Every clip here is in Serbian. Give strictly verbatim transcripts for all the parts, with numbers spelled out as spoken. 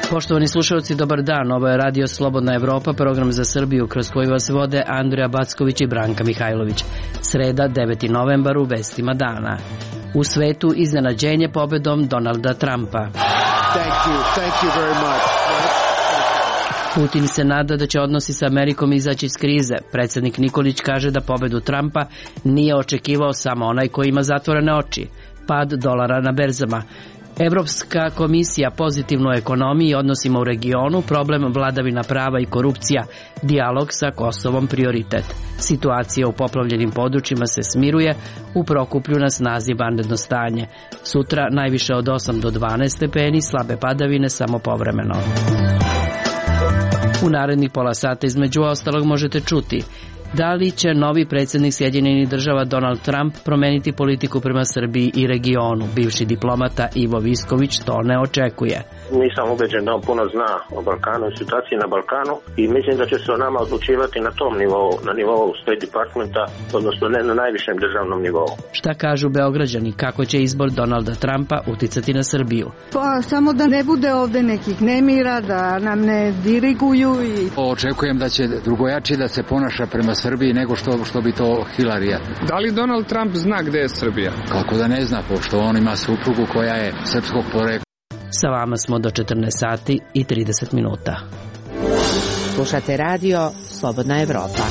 Poštovani slušalci, dobar dan. Ovo je Radio Slobodna Evropa, program za Srbiju kroz koji vas vode Andrija Backović i Branka Mihajlović. Sreda, deveti novembar, u vestima dana. U svetu iznenađenje pobedom Donalda Trumpa. Thank you. Thank you very much. Putin se nada da će odnosi sa Amerikom izaći iz krize. Predsjednik Nikolić kaže da pobedu Trumpa nije očekivao samo onaj koji ima zatvorene oči. Pad dolara na berzama. Evropska komisija pozitivno ekonomiji i odnosima u regionu, problem vladavina prava i korupcija, dijalog sa Kosovom prioritet. Situacija u poplavljenim područjima se smiruje, u Prokuplju na snazi vanredno stanje. Sutra najviše od osam do dvanaest stepeni, slabe padavine samo povremeno. U narednih pola sata između ostalog možete čuti: da li će novi predsjednik Sjedinjenih Država Donald Trump promeniti politiku prema Srbiji i regionu? Bivši diplomata Ivo Visković to ne očekuje. Nisam ubeđen da on puno zna o Balkanu i situaciji na Balkanu i mislim da će se o nama odlučivati na tom nivou, na nivou State Departmenta, odnosno ne na najvišem državnom nivou. Šta kažu Beograđani, kako će izbor Donalda Trumpa uticati na Srbiju? Pa samo da ne bude ovde nekih nemira, da nam ne diriguju. I... Očekujem da će drugojači da se ponaša prema Srbiji nego što, što bi to Hilarija. Da li Donald Trump zna gde je Srbija? Kako da ne zna, pošto on ima suprugu koja je srpskog porekla. Sa vama smo do četrnaest sati i trideset minuta. Slušate radio Slobodna Evropa.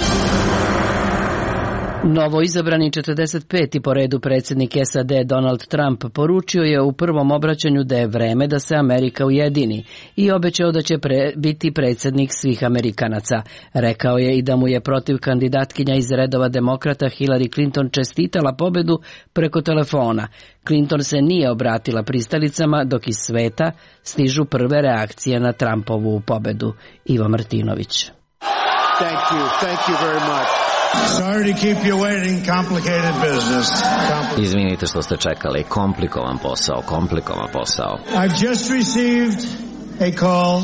Novo izabrani četrdeset peti po redu predsjednik S A D Donald Trump poručio je u prvom obraćanju da je vreme da se Amerika ujedini i obećao da će pre, biti predsjednik svih Amerikanaca. Rekao je i da mu je protiv kandidatkinja iz redova demokrata Hillary Clinton čestitala pobedu preko telefona. Clinton se nije obratila pristalicama, dok iz sveta stižu prve reakcije na Trumpovu pobedu. Ivo Martinović. Thank you. Thank you very much. Sorry to keep you waiting, complicated business. Compl- Izvinite što ste čekali, komplikovan posao, komplikovan posao. I've just received a call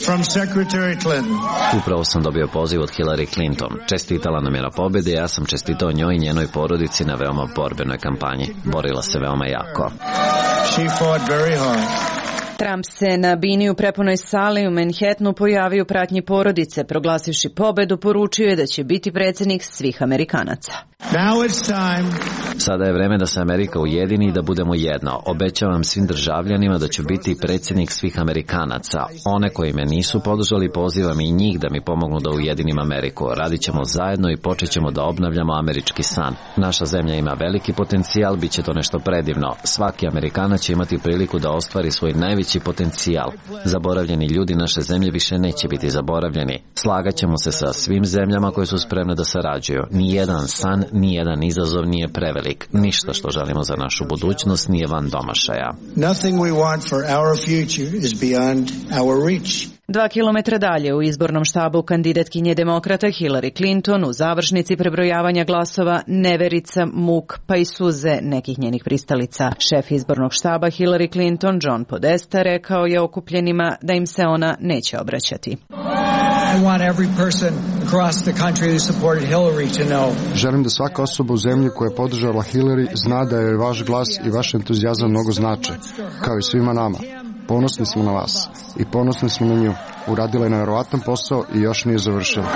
from Secretary Clinton. Upravo sam dobio poziv od Hillary Clinton. Čestitala nam je na pobjedi, ja sam čestitao njoj i njenoj porodici na veoma borbenoj kampanji. Borila se veoma jako. She fought very hard. Trump se na bini u prepunoj sali u Manhattanu pojavio u pratnji porodice, proglasivši pobedu, poručio je da će biti predsjednik svih Amerikanaca. Now it's time. Sada je vreme da se Amerika ujedini i da budemo jedno. Obećavam svim državljanima da ću biti predsjednik svih Amerikanaca. One koji me nisu podržali, pozivam i njih da mi pomognu da ujedinim Ameriku. Radit ćemo zajedno i počet ćemo da obnavljamo američki san. Naša zemlja ima veliki potencijal, bit će to nešto predivno. Svaki Amerikanac će imati priliku da ostvari svoj najveći potencijal. Zaboravljeni ljudi naše zemlje više neće biti zaboravljeni. Slagat ćemo se sa svim zemljama koje su spremne da sarađuju. Nijedan san, nijedan izazov nije prevelik. Ništa što želimo za našu budućnost nije van domašaja. Nothing we want for our future is beyond our reach. Dva kilometra dalje u izbornom štabu kandidatkinje demokrata Hillary Clinton u završnici prebrojavanja glasova neverica, muk pa i suze nekih njenih pristalica. Šef izbornog štaba Hillary Clinton, John Podesta, rekao je okupljenima da im se ona neće obraćati. I want every person across the country who supported Hillary to know. Želim da svaka osoba u zemlji koja je podržala Hillary zna da je vaš glas i vaš entuzijazam mnogo znače, kao i svima nama. Ponosni smo na vas i ponosni smo na nju. Uradila je nevjerovatan posao i još nije završila.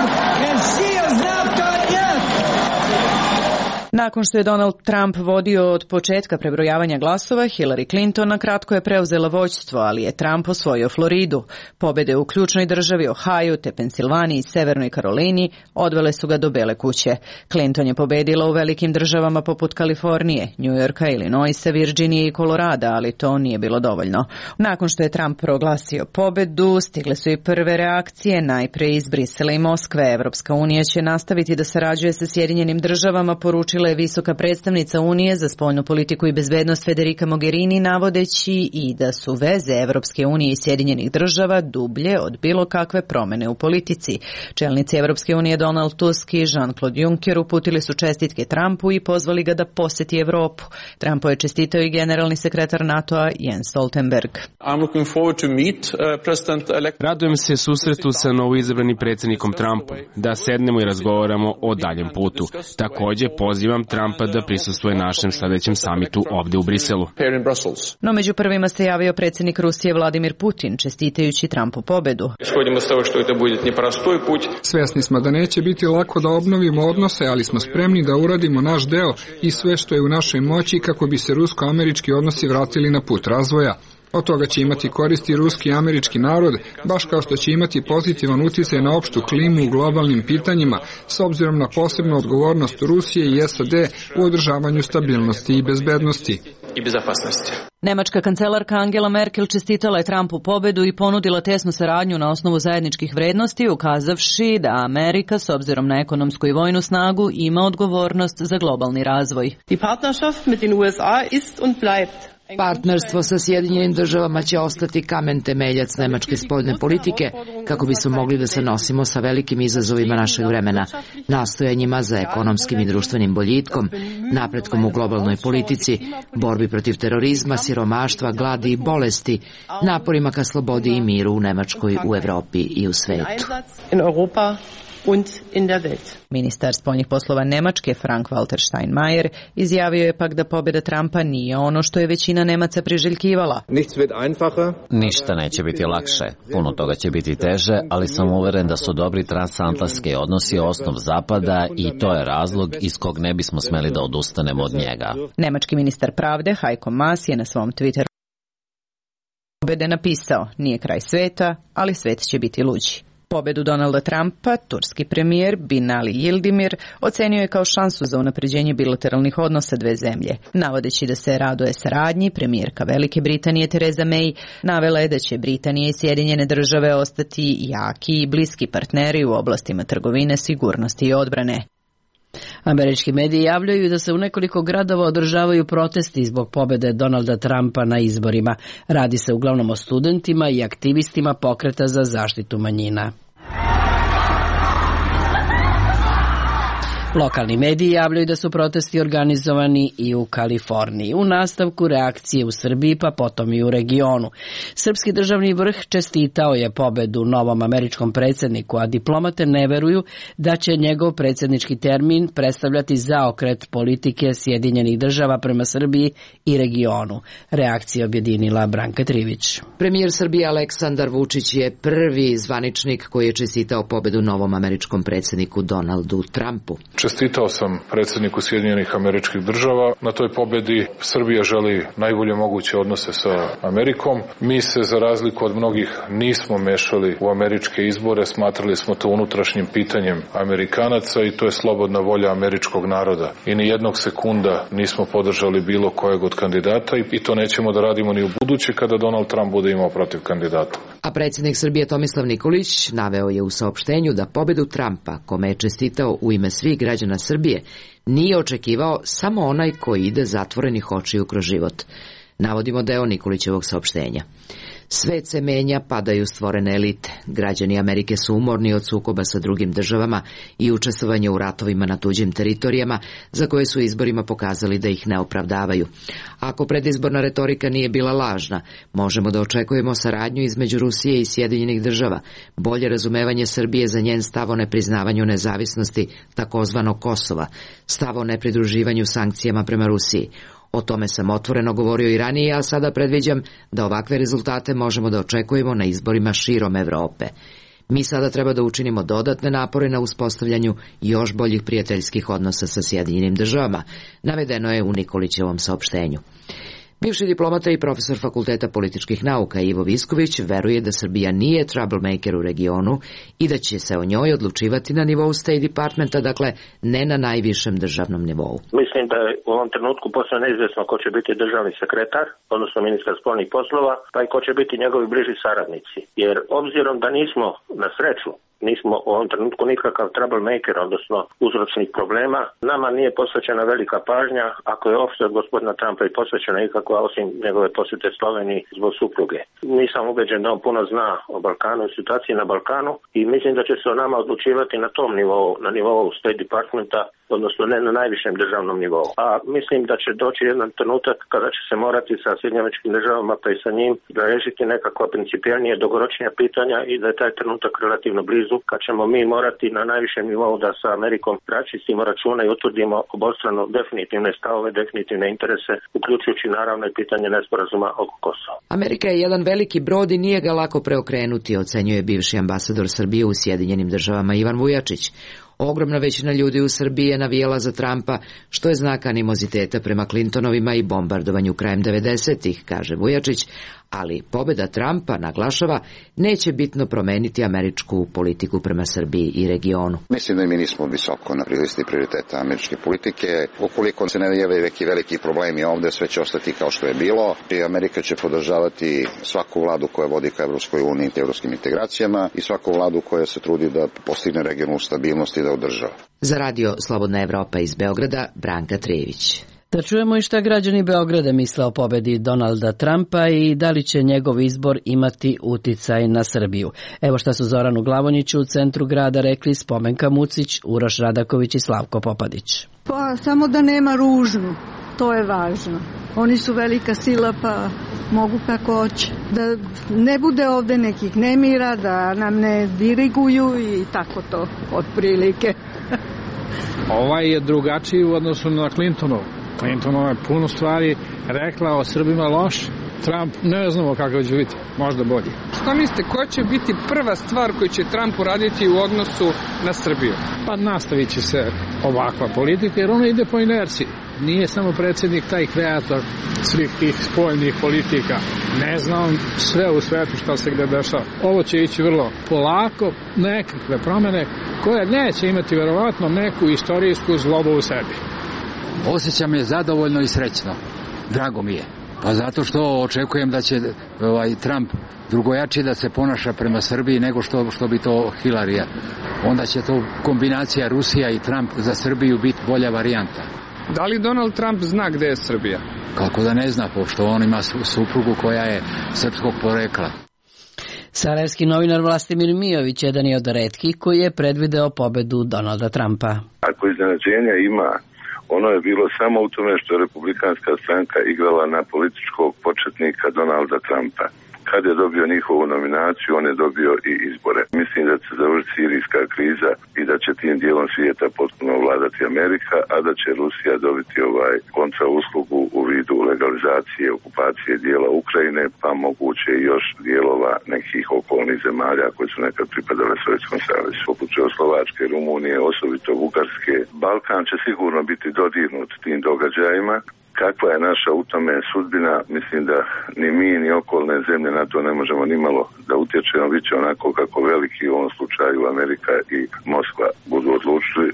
Nakon što je Donald Trump vodio od početka prebrojavanja glasova, Hillary Clinton na kratko je preuzela vođstvo, ali je Trump osvojio Floridu. Pobjede u ključnoj državi Ohio, te Pensilvaniji i Severnoj Karolini odvele su ga do Bele kuće. Clinton je pobedila u velikim državama poput Kalifornije, New Yorka, Illinoisa, Virginije i Kolorada, ali to nije bilo dovoljno. Nakon što je Trump proglasio pobedu, stigle su i prve reakcije, najpre iz Brisela i Moskve. Evropska unija će nastaviti da sarađuje sa Sjedinjenim državama, poručila izjavila je visoka predstavnica Unije za spoljnu politiku i bezbednost Federica Mogherini, navodeći i da su veze Evropske unije i Sjedinjenih država dublje od bilo kakve promene u politici. Čelnici Evropske unije Donald Tusk i Jean-Claude Juncker uputili su čestitke Trumpu i pozvali ga da poseti Evropu. Trumpu je čestitao i generalni sekretar NATO-a Jens Stoltenberg. Radujem se susretu sa novoizabranim predsjednikom Trumpom, da sednemo i razgovaramo o daljem putu. Također pozivam Trumpa da prisustvuje našem sljedećem samitu ovdje u Briselu. No među prvima se javio predsjednik Rusije Vladimir Putin, čestitajući Trumpu pobedu. Svjesni smo da neće biti lako da obnovimo odnose, ali smo spremni da uradimo naš deo i sve što je u našoj moći kako bi se rusko-američki odnosi vratili na put razvoja. Od toga će imati koristi ruski i američki narod, baš kao što će imati pozitivan utjecaj na opštu klimu u globalnim pitanjima, s obzirom na posebnu odgovornost Rusije i S A D u održavanju stabilnosti i bezbednosti. Nemačka kancelarka Angela Merkel čestitala je Trumpu pobedu i ponudila tesnu saradnju na osnovu zajedničkih vrednosti, ukazavši da Amerika, s obzirom na ekonomsku i vojnu snagu, ima odgovornost za globalni razvoj. Partnerstvo sa Sjedinjenim državama će ostati kamen temeljac nemačke spoljne politike kako bismo mogli da se nosimo sa velikim izazovima našeg vremena, nastojanjima za ekonomskim i društvenim boljitkom, napretkom u globalnoj politici, borbi protiv terorizma, siromaštva, gladi i bolesti, naporima ka slobodi i miru u Nemačkoj, u Evropi i u svetu. Ministar spoljnih poslova Nemačke Frank-Walter Steinmeier izjavio je pak da pobjeda Trumpa nije ono što je većina Nemaca priželjkivala. Ništa neće biti lakše, puno toga će biti teže, ali sam uveren da su dobri transatlantski odnosi osnov Zapada i to je razlog iz kog ne bismo smeli da odustanemo od njega. Nemački ministar pravde Heiko Maas je na svom Twitteru pobjede napisao: nije kraj sveta, ali svet će biti luđi. Pobedu Donalda Trumpa, turski premijer Binali Yildirim ocenio je kao šansu za unapređenje bilateralnih odnosa dve zemlje. Navodeći da se raduje saradnji, premijerka Velike Britanije Theresa May navela je da će Britanija i Sjedinjene države ostati jaki i bliski partneri u oblastima trgovine, sigurnosti i odbrane. Američki mediji javljaju da se u nekoliko gradova održavaju protesti zbog pobjede Donalda Trumpa na izborima. Radi se uglavnom o studentima i aktivistima pokreta za zaštitu manjina. Lokalni mediji javljaju da su protesti organizovani i u Kaliforniji. U nastavku reakcije u Srbiji, pa potom i u regionu. Srpski državni vrh čestitao je pobedu novom američkom predsjedniku, a diplomate ne veruju da će njegov predsjednički termin predstavljati zaokret politike Sjedinjenih država prema Srbiji i regionu. Reakcija objedinila Branka Trivić. Premijer Srbije Aleksandar Vučić je prvi zvaničnik koji je čestitao pobedu novom američkom predsjedniku Donaldu Trumpu. Čestitao sam predsjedniku Sjedinjenih Američkih Država. Na toj pobjedi Srbija želi najbolje moguće odnose sa Amerikom. Mi se, za razliku od mnogih, nismo mešali u američke izbore. Smatrali smo to unutrašnjim pitanjem Amerikanaca i to je slobodna volja američkog naroda. I ni jednog sekunda nismo podržali bilo kojeg od kandidata i to nećemo da radimo ni u buduće kada Donald Trump bude imao protiv kandidata. A predsjednik Srbije Tomislav Nikolić naveo je u saopštenju da pobedu Trumpa, kome je čestitao u ime svih građana Srbije, nije očekivao samo onaj koji ide zatvorenih očiju kroz život. Navodimo deo Nikolićevog saopštenja. Svet se menja, padaju stvorene elite. Građani Amerike su umorni od sukoba sa drugim državama i učestvovanja u ratovima na tuđim teritorijama, za koje su izborima pokazali da ih ne opravdavaju. Ako predizborna retorika nije bila lažna, možemo da očekujemo saradnju između Rusije i Sjedinjenih država, bolje razumevanje Srbije za njen stav o nepriznavanju nezavisnosti takozvanog Kosova, stav o nepridruživanju sankcijama prema Rusiji. O tome sam otvoreno govorio i ranije, a sada predviđam da ovakve rezultate možemo da očekujemo na izborima širom Evrope. Mi sada treba da učinimo dodatne napore na uspostavljanju još boljih prijateljskih odnosa sa Sjedinjenim državama, navedeno je u Nikolićevom saopštenju. Bivši diplomata i profesor Fakulteta političkih nauka Ivo Visković veruje da Srbija nije troublemaker u regionu i da će se o njoj odlučivati na nivou State Departmenta, dakle ne na najvišem državnom nivou. Mislim da je u ovom trenutku posve neizvjesno ko će biti državni sekretar, odnosno ministar spoljnih poslova, pa i ko će biti njegovi bliži saradnici. Jer obzirom da nismo na sreću nismo u ovom trenutku nikakav troublemaker, odnosno uzročnik problema. Nama nije posvećena velika pažnja, ako je uopšte od gospodina Trumpa i posvećena ikakva, osim njegove posjete Sloveniji zbog supruge. Nisam ubeđen da on puno zna o Balkanu i situaciji na Balkanu i mislim da će se o nama odlučivati na tom nivou, na nivou State Departmenta, odnosno ne na najvišem državnom nivou. A mislim da će doći jedan trenutak kada će se morati sa Sjedinjenim Američkim Državama pa i sa njim da rešiti nekakva principijelnije, dugoročnija pitanja i da je taj trenutak relativno blizu kad ćemo mi morati na najvišem nivou da sa Amerikom račistimo račune i utvrdimo obostrano definitivne stavove, definitivne interese, uključujući naravno i pitanje nesporazuma oko Kosova. Amerika je jedan veliki brod i nije ga lako preokrenuti, ocenjuje bivši ambasador Srbije u Sjedinjenim Državama Ivan Vujačić. Ogromna većina ljudi u Srbiji je navijala za Trumpa, što je znak animoziteta prema Clintonovima i bombardovanju krajem devedesetih, kaže Vujačić, ali pobjeda Trumpa, naglašava, neće bitno promeniti američku politiku prema Srbiji i regionu. Mislim da mi nismo visoko na listi prioriteta američke politike. Ukoliko se ne jave neki veliki problemi ovde, sve će ostati kao što je bilo. I Amerika će podržavati svaku vladu koja vodi ka Evropskoj uniji i evropskim integracijama i svaku vladu koja se trudi da postigne regionalnu stabilnost i da održava. Za radio Slobodna Evropa iz Beograda, Branka Trević. Da čujemo i šta građani Beograda misle o pobedi Donalda Trumpa i da li će njegov izbor imati uticaj na Srbiju. Evo šta su Zoranu Glavonjiću u centru grada rekli Spomenka Mucić, Uroš Radaković i Slavko Popadić. Pa samo da nema ružnu, to je važno. Oni su velika sila pa mogu kako hoće. Da ne bude ovde nekih nemira, da nam ne diriguju i tako to otprilike. Ovaj je drugačiji u odnosu na Clintonov. Clintonova je puno stvari rekla o Srbima loš. Trump ne znamo kako će biti, možda bolji. Šta mislite, koja će biti prva stvar koju će Trump uraditi u odnosu na Srbiju? Pa nastavit će se ovakva politika jer ona ide po inerciji. Nije samo predsjednik taj kreator svih tih spoljnih politika. Ne znam sve u svetu šta se gde dešava. Ovo će ići vrlo polako, nekakve promene koje neće imati verovatno neku istorijsku zlobu u sebi. Osjećam je zadovoljno i srećno. Drago mi je. Pa zato što očekujem da će ovaj Trump drugojačije da se ponaša prema Srbiji nego što, što bi to Hilarija. Onda će to kombinacija Rusija i Trump za Srbiju biti bolja varijanta. Da li Donald Trump zna gde je Srbija? Kako da ne zna, pošto on ima suprugu koja je srpskog porekla. Sarajevski novinar Vlastimir Mijović jedan je od retkih koji je predvideo pobedu Donalda Trumpa. Ako iznenađenja ima, ono je bilo samo u tome što je republikanska stranka igrala na političkog početnika Donalda Trumpa. Kad je dobio njihovu nominaciju, on je dobio i izbore. Mislim da će završiti sirijska kriza i da će tim dijelom svijeta potpuno vladati Amerika, a da će Rusija dobiti ovaj kontra uslugu u vidu legalizacije, okupacije dijela Ukrajine, pa moguće i još dijelova nekih okolnih zemalja koje su nekad pripadale Sovjetskom savezu. Poput Čehoslovačke, Rumunije, osobito Bugarske. Balkan će sigurno biti dodirnut tim događajima. Kakva je naša u tome sudbina, mislim da ni mi ni okolne zemlje na to ne možemo ni malo da utječemo, bit će onako kako veliki u ovom slučaju Amerika i Moskva budu odlučili.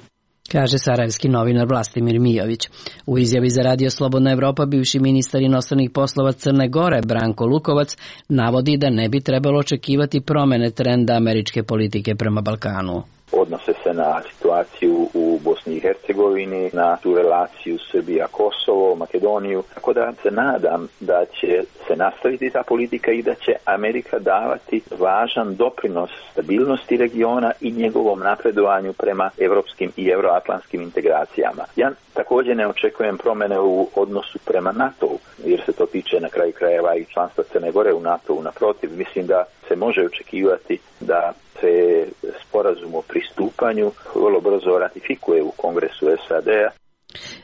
Kaže sarajevski novinar Vlastimir Mijović. U izjavi za radio Slobodna Evropa bivši ministar inostranih poslova Crne Gore Branko Lukovac navodi da ne bi trebalo očekivati promene trenda američke politike prema Balkanu. Odnose se na situaciju u Bosni i Hercegovini, na tu relaciju Srbija-Kosovo, Makedoniju. Tako da se nadam da će se nastaviti ta politika i da će Amerika davati važan doprinos stabilnosti regiona i njegovom napredovanju prema evropskim i euroatlantskim integracijama. Ja također ne očekujem promene u odnosu prema NATO-u, jer se to tiče na kraju krajeva i članstva Crne Gore u NATO-u. Naprotiv, mislim da se može očekivati da se sporazum o pristupanju vrlo brzo ratifikuje u Kongresu S A D-a.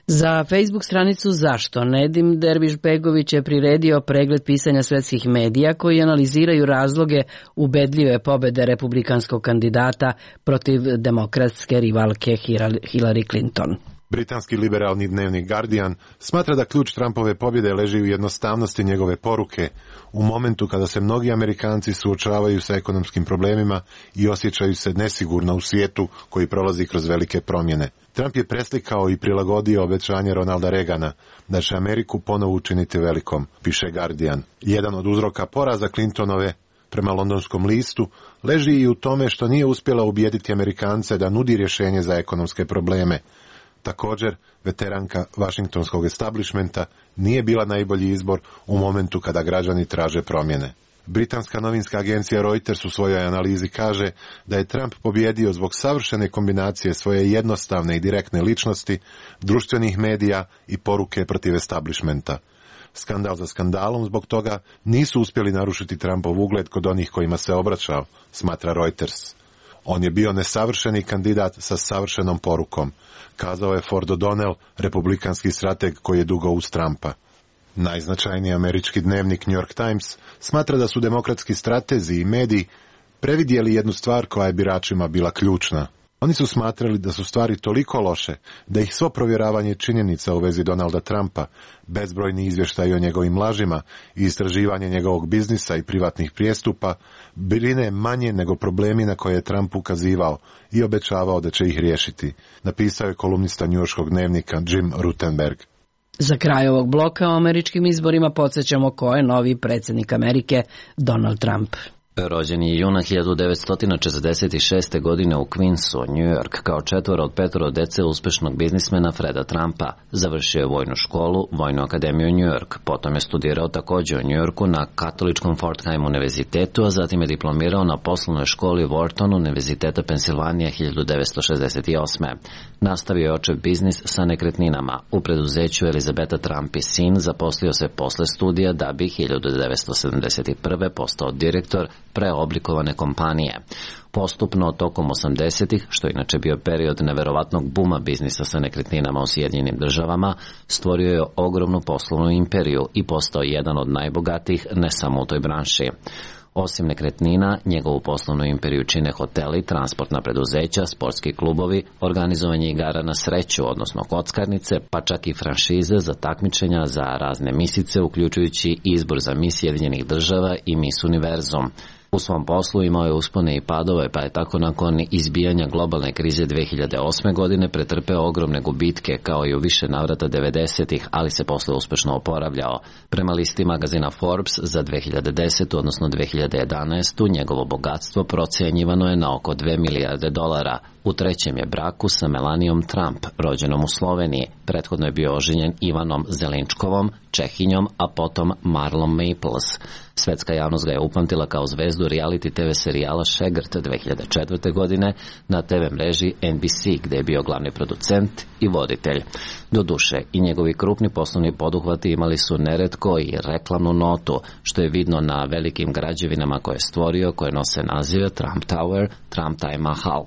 Za Facebook stranicu Zašto Nedim Derviš-Begović je priredio pregled pisanja svetskih medija koji analiziraju razloge ubedljive pobede republikanskog kandidata protiv demokratske rivalke Hillary Clinton. Britanski liberalni dnevnik Guardian smatra da ključ Trumpove pobjede leži u jednostavnosti njegove poruke, u momentu kada se mnogi Amerikanci suočavaju sa ekonomskim problemima i osjećaju se nesigurno u svijetu koji prolazi kroz velike promjene. Trump je preslikao i prilagodio obećanje Ronalda Reagana da će Ameriku ponovo učiniti velikom, piše Guardian. Jedan od uzroka poraza Clintonove prema londonskom listu, leži i u tome što nije uspjela ubijediti Amerikance da nudi rješenje za ekonomske probleme. Također, veteranka vašingtonskog establishmenta nije bila najbolji izbor u momentu kada građani traže promjene. Britanska novinska agencija Reuters u svojoj analizi kaže da je Trump pobjedio zbog savršene kombinacije svoje jednostavne i direktne ličnosti, društvenih medija i poruke protiv establishmenta. Skandal za skandalom zbog toga nisu uspjeli narušiti Trumpov ugled kod onih kojima se obraćao, smatra Reuters. On je bio nesavršeni kandidat sa savršenom porukom, kazao je Ford O'Donnell, republikanski strateg koji je dugo uz Trumpa. Najznačajniji američki dnevnik New York Times smatra da su demokratski stratezi i mediji previdjeli jednu stvar koja je biračima bila ključna. Oni su smatrali da su stvari toliko loše da ih svo provjeravanje činjenica u vezi Donalda Trumpa, bezbrojni izvještaji o njegovim lažima i istraživanje njegovog biznisa i privatnih prijestupa brine manje nego problemi na koje je Trump ukazivao i obećavao da će ih riješiti, napisao je kolumnista njujorškog dnevnika Jim Rutenberg. Za kraj ovog bloka o američkim izborima podsjećamo ko je novi predsjednik Amerike, Donald Trump. Rođen je juna hiljadu devetsto četrdeset šeste. godine u Queensu, New York, kao četvoro od petoro dece uspešnog biznismena Freda Trumpa. Završio je vojnu školu, Vojnu akademiju New York, potom je studirao također u New Yorku na katoličkom Fordham univerzitetu, a zatim je diplomirao na poslovnoj školi Wharton univerziteta Pensilvanija hiljadu devetsto šezdeset osme. Nastavio je očev biznis sa nekretninama. U preduzeću Elizabeta Trump i sin zaposlio se posle studija da bi hiljadu devetsto sedamdeset prve. postao direktor preoblikovane kompanije. Postupno tokom osamdesetih, što je inače bio period neverovatnog buma biznisa sa nekretninama u Sjedinjenim državama, stvorio je ogromnu poslovnu imperiju i postao jedan od najbogatijih ne samo u toj branši. Osim nekretnina, njegovu poslovnu imperiju čine hoteli, transportna preduzeća, sportski klubovi, organizovanje igara na sreću, odnosno kockarnice, pa čak i franšize za takmičenja za razne misice, uključujući izbor za mis Sjedinjenih država i Miss Univerzum. U svom poslu imao je uspone i padove, pa je tako nakon izbijanja globalne krize dve hiljade osme. godine pretrpeo ogromne gubitke, kao i u više navrata devedesetih, ali se posle uspešno oporavljao. Prema listi magazina Forbes za dve hiljade desete. odnosno dve hiljade jedanaeste. njegovo bogatstvo procenjivano je na oko dve milijarde dolara. U trećem je braku sa Melanijom Trump, rođenom u Sloveniji. Prethodno je bio oženjen Ivanom Zelinčkovom, Čehinjom, a potom Marlon Maples. Svetska javnost ga je upamtila kao zvezdu reality te ve serijala Šegrt dve hiljade četvrte. godine na te ve mreži en bi si, gde je bio glavni producent i voditelj. Doduše, i njegovi krupni poslovni poduhvati imali su neretko i reklamnu notu, što je vidno na velikim građevinama koje je stvorio, koje nose nazive Trump Tower, Trump Taj Mahal.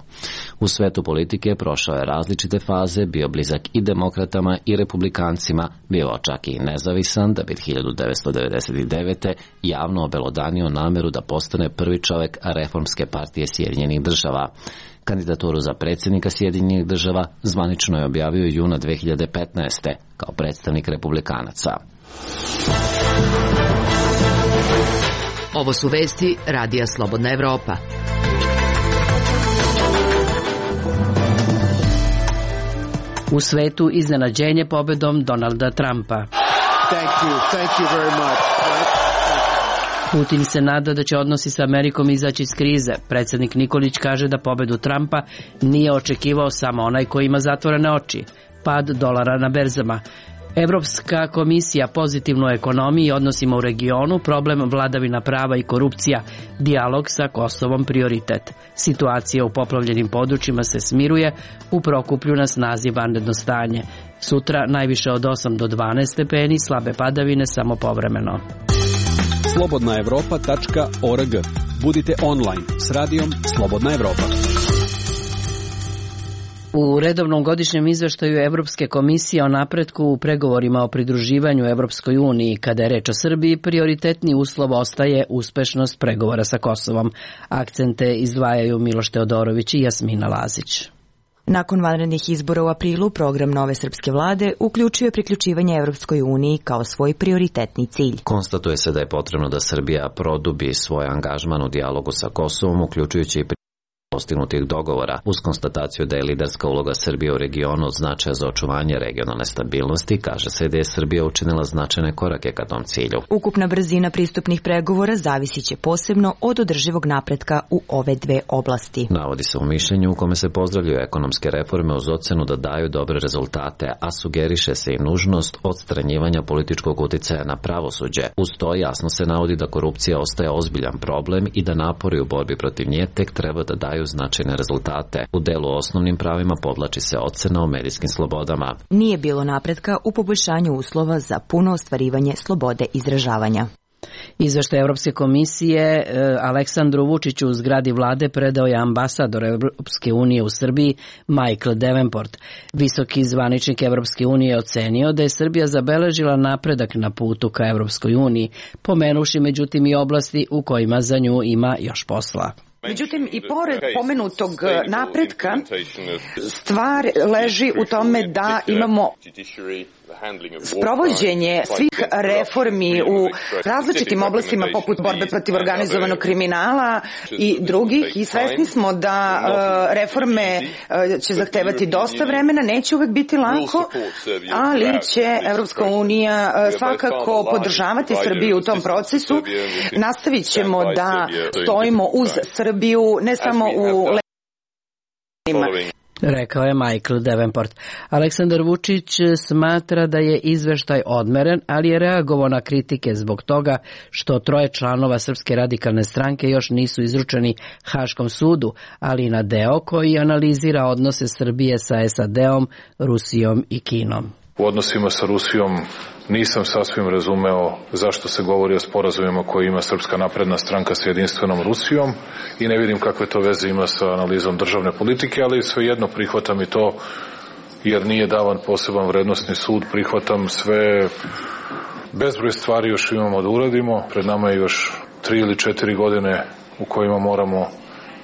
U svetu politike prošao je različite faze, bio blizak i demokratama i republikancima, bio čak i nezavisan, da bi hiljadu devetsto devedeset devete. javno obelodanio nameru da postane prvi čovjek reformske partije Sjedinjenih država. Kandidaturu za predsjednika Sjedinjenih država zvanično je objavio juna dve hiljade petnaeste. kao predstavnik republikanaca. Ovo su vesti Radija Slobodna Evropa. U svetu iznenađenje pobedom Donalda Trumpa. Thank you. Thank you very much. Putin se nada da će odnosi sa Amerikom izaći iz krize. Predsjednik Nikolić kaže da pobedu Trumpa nije očekivao samo onaj koji ima zatvorene oči. Pad dolara na berzama. Evropska komisija pozitivno u ekonomiji i odnosima u regionu, problem vladavina prava i korupcija, dijalog sa Kosovom prioritet. Situacija u poplavljenim područjima se smiruje, u Prokuplju na snazi vanredno stanje. Sutra najviše od osam do dvanaest stepeni, slabe padavine samo povremeno. slobodna evropa tačka org. Budite online s radijom Slobodna Evropa. U redovnom godišnjem izveštaju Evropske komisije o napretku u pregovorima o pridruživanju Evropskoj uniji, kada je reč o Srbiji, prioritetni uslov ostaje uspešnost pregovora sa Kosovom. Akcente izdvajaju Miloš Teodorović i Jasmina Lazić. Nakon vanrednih izbora u aprilu, program nove srpske vlade uključio je priključivanje Evropskoj uniji kao svoj prioritetni cilj. Konstatuje se da je potrebno da Srbija produbi svoj angažman u dijalogu sa Kosovom, uključujući i postignutih dogovora, uz konstataciju da je liderska uloga Srbije u regionu od značaja za očuvanje regionalne stabilnosti, kaže se da je Srbija učinila značajne korake ka tom cilju. Ukupna brzina pristupnih pregovora zavisit će posebno od održivog napretka u ove dve oblasti. Navodi se u mišljenju u kome se pozdravljaju ekonomske reforme uz ocenu da daju dobre rezultate, a sugeriše se i nužnost odstranjivanja političkog uticaja na pravosuđe. Uz to jasno se navodi da korupcija ostaje ozbiljan problem i da napori u borbi protiv nje tek treba da daju značajne rezultate. U delu osnovnim pravima podlači se ocena o medijskim slobodama. Nije bilo napretka u poboljšanju uslova za puno ostvarivanje slobode izražavanja. Izveštaj Evropske komisije Aleksandru Vučiću u zgradi vlade predao je ambasador Evropske unije u Srbiji Michael Davenport. Visoki zvaničnik Evropske unije je ocenio da je Srbija zabeležila napredak na putu ka Evropskoj uniji, pomenuši međutim i oblasti u kojima za nju ima još posla. Međutim, i pored pomenutog napretka, stvar leži u tome da imamo sprovođenje svih reformi u različitim oblastima poput borbe protiv organizovanog kriminala i drugih i svesni smo da reforme će zahtevati dosta vremena, neće uvek biti lako, ali će Evropska unija svakako podržavati Srbiju u tom procesu. Nastavit ćemo da stojimo uz Srbiju, ne samo u rekao je Michael Davenport. Aleksandar Vučić smatra da je izveštaj odmeren, ali je reagovao na kritike zbog toga što troje članova Srpske radikalne stranke još nisu izručeni Haškom sudu, ali i na deo koji analizira odnose Srbije sa S A D-om, Rusijom i Kinom. U odnosima sa Rusijom nisam sasvim razumeo zašto se govori o sporazumima koje ima Srpska napredna stranka sa jedinstvenom Rusijom i ne vidim kakve to veze ima sa analizom državne politike, ali svejedno prihvatam i to jer nije davan poseban vrednosni sud, prihvatam sve, bezbroj stvari još imamo da uradimo, pred nama je još tri ili četiri godine u kojima moramo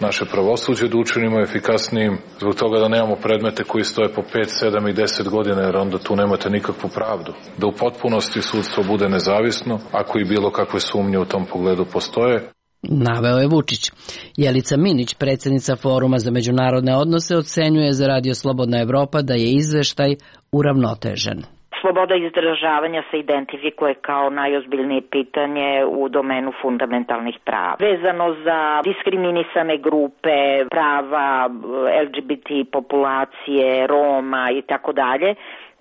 naše pravosuđe da učinimo efikasnijim, zbog toga da nemamo predmete koji stoje po pet, sedam i deset godina, jer onda tu nemate nikakvu pravdu. Da u potpunosti sudstvo bude nezavisno, ako i bilo kakve sumnje u tom pogledu postoje. Naveo je Vučić. Jelica Minić, predsjednica Foruma za međunarodne odnose, ocenjuje za Radio Slobodna Evropa da je izveštaj uravnotežen. Sloboda izražavanja se identifikuje kao najozbiljnije pitanje u domenu fundamentalnih prava. Vezano za diskriminisane grupe, prava L G B T populacije, Roma i tako dalje,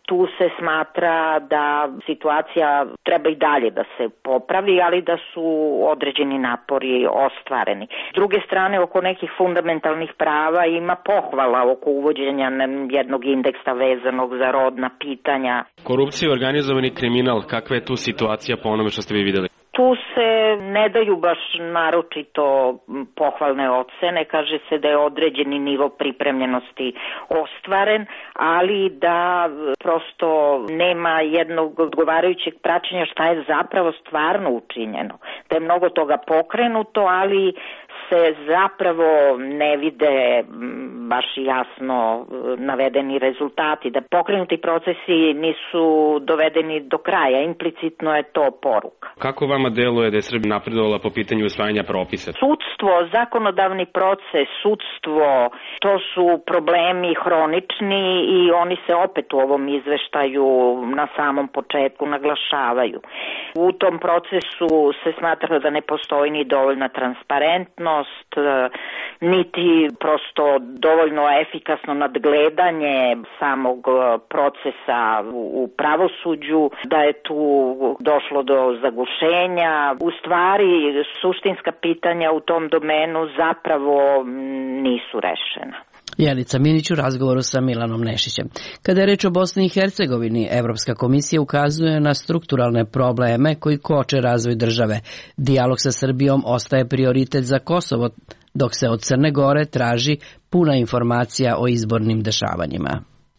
tu se smatra da situacija treba i dalje da se popravi, ali da su određeni napori ostvareni. S druge strane, oko nekih fundamentalnih prava ima pohvala oko uvođenja jednog indeksa vezanog za rodna pitanja. Korupcija i organizovani kriminal, kakva je tu situacija po onome što ste vi videli? Tu se ne daju baš naročito pohvalne ocene, kaže se da je određeni nivo pripremljenosti ostvaren, ali da prosto nema jednog odgovarajućeg praćenja šta je zapravo stvarno učinjeno. Da je mnogo toga pokrenuto, ali se zapravo ne vide baš jasno navedeni rezultati, da pokrenuti procesi nisu dovedeni do kraja, implicitno je to poruka. Kako vama deluje da je Srbija napredovala po pitanju usvajanja propisa? Sudstvo, zakonodavni proces, sudstvo, to su problemi hronični i oni se opet u ovom izveštaju na samom početku naglašavaju. U tom procesu se smatra da ne postoji ni dovoljna transparentnost, niti prosto dovoljno efikasno nadgledanje samog procesa u pravosuđu, da je tu došlo do zagušenja. U stvari, suštinska pitanja u tom domenu zapravo nisu rešena. Jelica Minić u razgovoru sa Milanom Nešićem. Kada je reč o Bosni i Hercegovini, Evropska komisija ukazuje na strukturalne probleme koji koče razvoj države. Dijalog sa Srbijom ostaje prioritet za Kosovo, dok se od Crne Gore traži puna informacija o izbornim dešavanjima.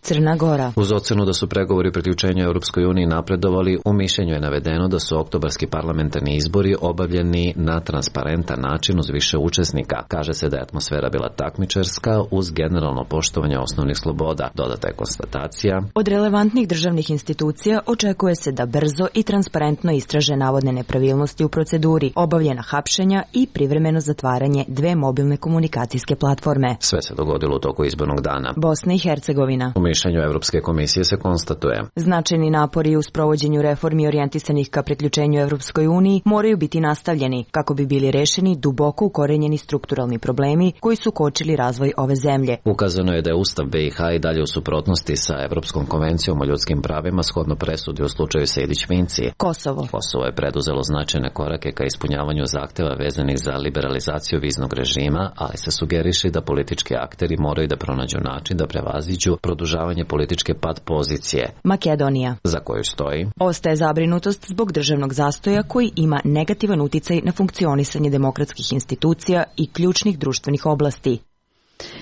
Crna Gora. Uz ocenu da su pregovori priključenju Europskoj uniji napredovali, u mišljenju je navedeno da su oktobarski parlamentarni izbori obavljeni na transparentan način uz više učesnika. Kaže se da je atmosfera bila takmičarska uz generalno poštovanje osnovnih sloboda. Dodata je konstatacija. Od relevantnih državnih institucija očekuje se da brzo i transparentno istraže navodne nepravilnosti u proceduri, obavljena hapšenja i privremeno zatvaranje dve mobilne komunikacijske platforme. Sve se dogodilo u toku izbornog dana. Bosna i Hercegovina. U mišljenju Evropske komisije se konstatuje. Značajni napori u sprovođenju reformi orijentisanih ka priključenju Evropskoj uniji moraju biti nastavljeni kako bi bili rešeni duboko ukorenjeni strukturalni problemi koji su kočili razvoj ove zemlje. Ukazano je da je Ustav B i H i dalje u suprotnosti sa Evropskom konvencijom o ljudskim pravima shodno presudi u slučaju Sejdić-Finci. Kosovo. Kosovo je preduzelo značajne korake ka ispunjavanju zahteva vezanih za liberalizaciju viznog režima, ali se sugeriše da politički akteri moraju da pronađu način da prevaziđu produžavanje političke pad pozicije. Makedonija. Za koju stoji. Ostaje zabrinutost zbog državnog zastoja koji ima negativan uticaj na funkcionisanje demokratskih institucija i ključnih društvenih oblasti.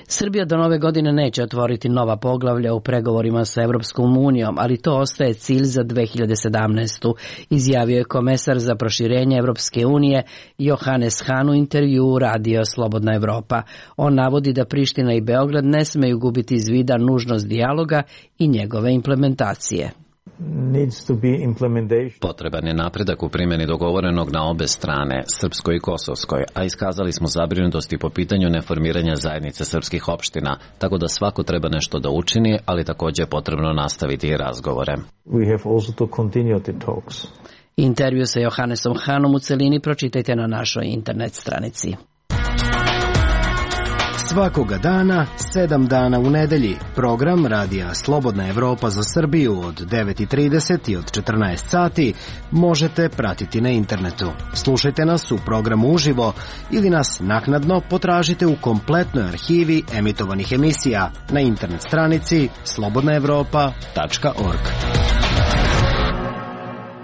Srbija do nove godine neće otvoriti nova poglavlja u pregovorima sa Evropskom unijom, ali to ostaje cilj za dve hiljade sedamnaestu. Izjavio je komesar za proširenje Evropske unije Johannes Hahn u intervjuu Radio Slobodna Evropa. On navodi da Priština i Beograd ne smeju gubiti iz vida nužnost dijaloga i njegove implementacije. Potreban je napredak u primjeni dogovorenog na obe strane, srpskoj i kosovskoj, a iskazali smo zabrinutosti po pitanju neformiranja zajednice srpskih opština, tako da svako treba nešto da učini, ali također je potrebno nastaviti i razgovore. Intervju sa Johannesom Hahnom u celini pročitajte na našoj internet stranici. Svakoga dana, sedam dana u nedelji, program Radija Slobodna Evropa za Srbiju od devet i trideset i od četrnaest sati možete pratiti na internetu. Slušajte nas u programu uživo ili nas naknadno potražite u kompletnoj arhivi emitovanih emisija na internet stranici slobodna evropa tačka org.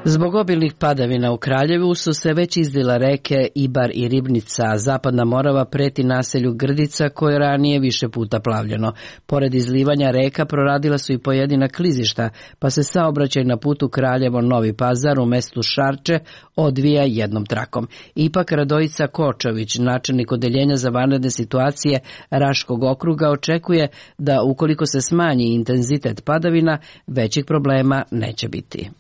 Zbog obilnih padavina u Kraljevu su se već izlile reke Ibar i Ribnica, a zapadna Morava preti naselju Grdica koje je ranije više puta plavljeno. Pored izlivanja reka proradila su i pojedina klizišta, pa se saobraćaj na putu Kraljevo-Novi Pazar u mestu Šarče odvija jednom trakom. Ipak Radojica Kočović, načelnik odeljenja za vanredne situacije Raškog okruga, očekuje da ukoliko se smanji intenzitet padavina, većih problema neće biti.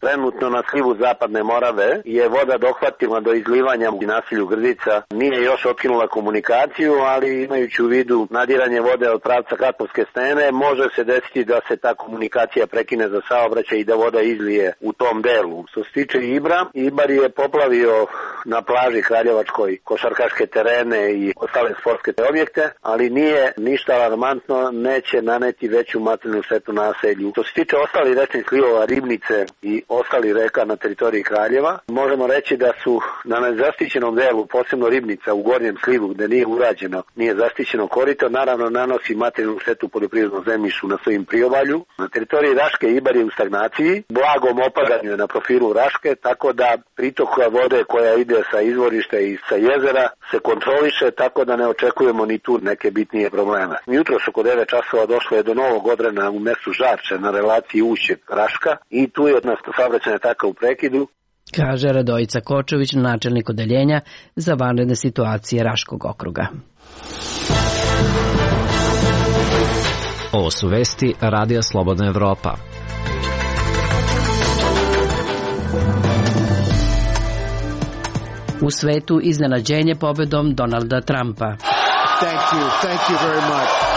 Trenutno na slivu zapadne Morave je voda dohvatila do izlivanja u naselju Grdica. Nije još otkinula komunikaciju, ali imajući u vidu nadiranje vode od pravca Katlovske stene, može se desiti da se ta komunikacija prekine za saobraćaj i da voda izlije u tom delu. Što se tiče Ibra, Ibar je poplavio na plaži Kraljevačkoj košarkaške terene i ostale sportske objekte, ali nije ništa alarmantno, neće naneti veću materijalnu štetu naselju. Što se tiče ostalih rečnih slivova Ribnice i ostali reka na teritoriji Kraljeva, možemo reći da su na nezaštićenom delu, posebno Ribnica u gornjem slivu gde nije urađeno, nije zaštićeno korito, naravno nanosi materijalnu štetu poljoprivrednom zemljištu na svojim priobalju. Na teritoriji Raške Ibar je u stagnaciji, blagom opadanju je na profilu Raške, tako da pritok vode koja ide sa izvorišta i sa jezera se kontroliše, tako da ne očekujemo ni tu neke bitnije probleme. Jutros oko devet časova došlo je do novog odrena u mestu Žarče na relaciji Ušće Raška i tu je od nas saobraćajna taka u prekidu. Kaže Radojica Kočović, načelnik odeljenja za vanredne situacije Raškog okruga. Ovo su vesti Radija Slobodna Evropa. U svetu iznenađenje pobedom Donalda Trumpa. Thank you, thank you very much.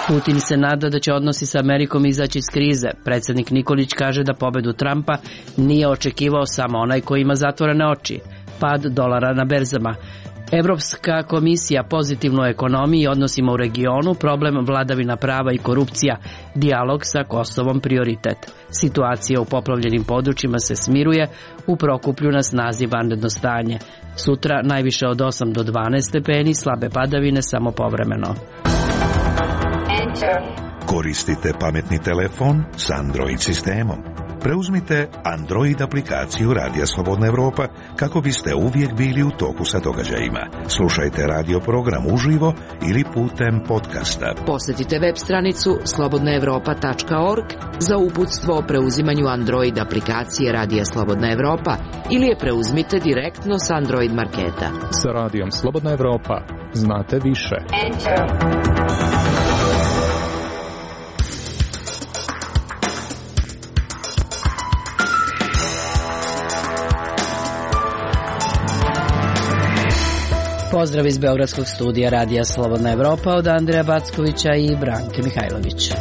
Putin se nada da će odnosi sa Amerikom izaći iz krize. Predsjednik Nikolić kaže da pobedu Trumpa nije očekivao samo onaj koji ima zatvorene oči. Pad dolara na berzama. Evropska komisija pozitivno u ekonomiji i odnosima u regionu, problem vladavina prava i korupcija, dijalog sa Kosovom prioritet. Situacija u poplavljenim područjima se smiruje, u Prokuplju na snazi vanredno stanje. Sutra najviše od osam do dvanaest stepeni, slabe padavine samo povremeno. Koristite pametni telefon s Android sistemom. Preuzmite Android aplikaciju Radija Slobodna Evropa kako biste uvijek bili u toku sa događajima. Slušajte radio program uživo ili putem podcasta. Posjetite web stranicu slobodna evropa tačka org za uputstvo o preuzimanju Android aplikacije Radija Slobodna Evropa ili je preuzmite direktno s Android marketa. Sa Radijom Slobodna Evropa znate više. Pozdrav iz Beogradskog studija Radija Slobodna Evropa od Andreja Backovića i Branke Mihajlović.